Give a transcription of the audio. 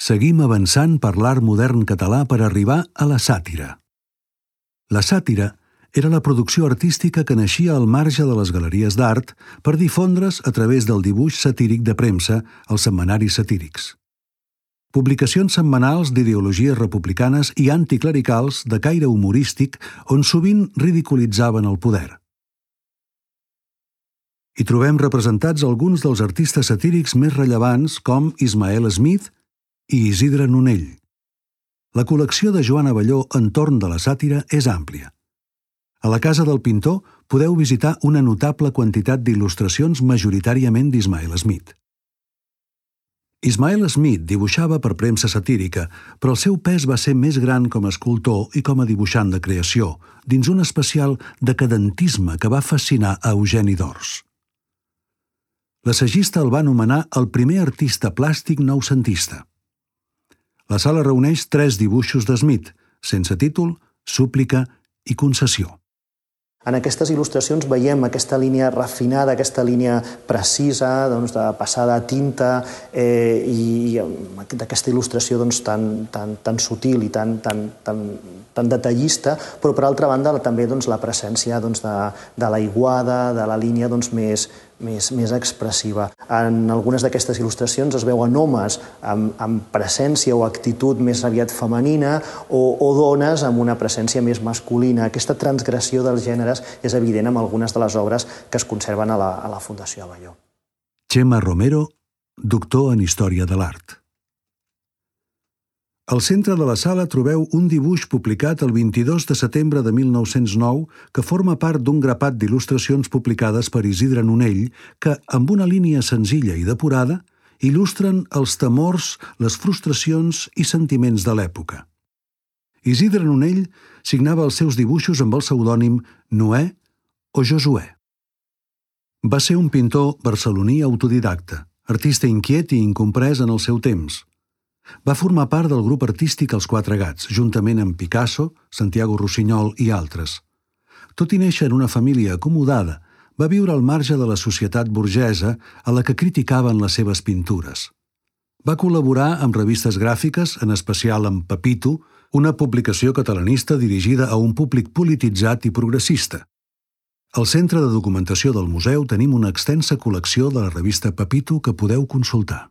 Seguim avançant per l'art modern català per arribar a la sàtira. La sàtira era la producció artística que naixia al marge de les galeries d'art per difondre's a través del dibuix satíric de premsa als setmanaris satírics. Publicacions setmanals d'ideologies republicanes i anticlericals de caire humorístic on sovint ridiculitzaven el poder. Hi trobem representats alguns dels artistes satírics més rellevants com Ismael Smith i Isidre Nonell. La col·lecció de Joan Abelló entorn de la sàtira és àmplia. A la casa del pintor podeu visitar una notable quantitat d'il·lustracions majoritàriament d'Ismael Smith. Ismael Smith dibuixava per premsa satírica, però el seu pes va ser més gran com a escultor i com a dibuixant de creació, dins un especial decadentisme que va fascinar a Eugeni d'Ors. L'assagista el va anomenar el primer artista plàstic noucentista. La sala reuneix 3 dibuixos de Smith, sense títol, súplica i concessió. En aquestes il·lustracions veiem aquesta línia refinada, aquesta línia precisa, de passada a tinta i d'aquesta il·lustració tan sutil i tan detallista, però per altra banda també la presència de l'aiguada, de la línia més expressiva. En algunes d'aquestes il·lustracions es veuen homes amb presència o actitud més aviat femenina o dones amb una presència més masculina. Aquesta transgressió dels gèneres és evident en algunes de les obres que es conserven a la Fundació Abelló. Txema Romero, doctor en Història de l'Art. Al centre de la sala trobeu un dibuix publicat el 22 de setembre de 1909 que forma part d'un grapat d'il·lustracions publicades per Isidre Nonell que, amb una línia senzilla i depurada, il·lustren els temors, les frustracions i sentiments de l'època. Isidre Nonell signava els seus dibuixos amb el pseudònim Noè o Josuè. Va ser un pintor barceloní autodidacta, artista inquiet i incomprès en el seu temps. Va formar part del grup artístic Els Quatre Gats, juntament amb Picasso, Santiago Rossinyol i altres. Tot i néixer en una família acomodada, va viure al marge de la societat burgesa a la que criticaven les seves pintures. Va col·laborar amb revistes gràfiques, en especial amb Pepito, una publicació catalanista dirigida a un públic polititzat i progressista. Al centre de documentació del museu tenim una extensa col·lecció de la revista Pepito que podeu consultar.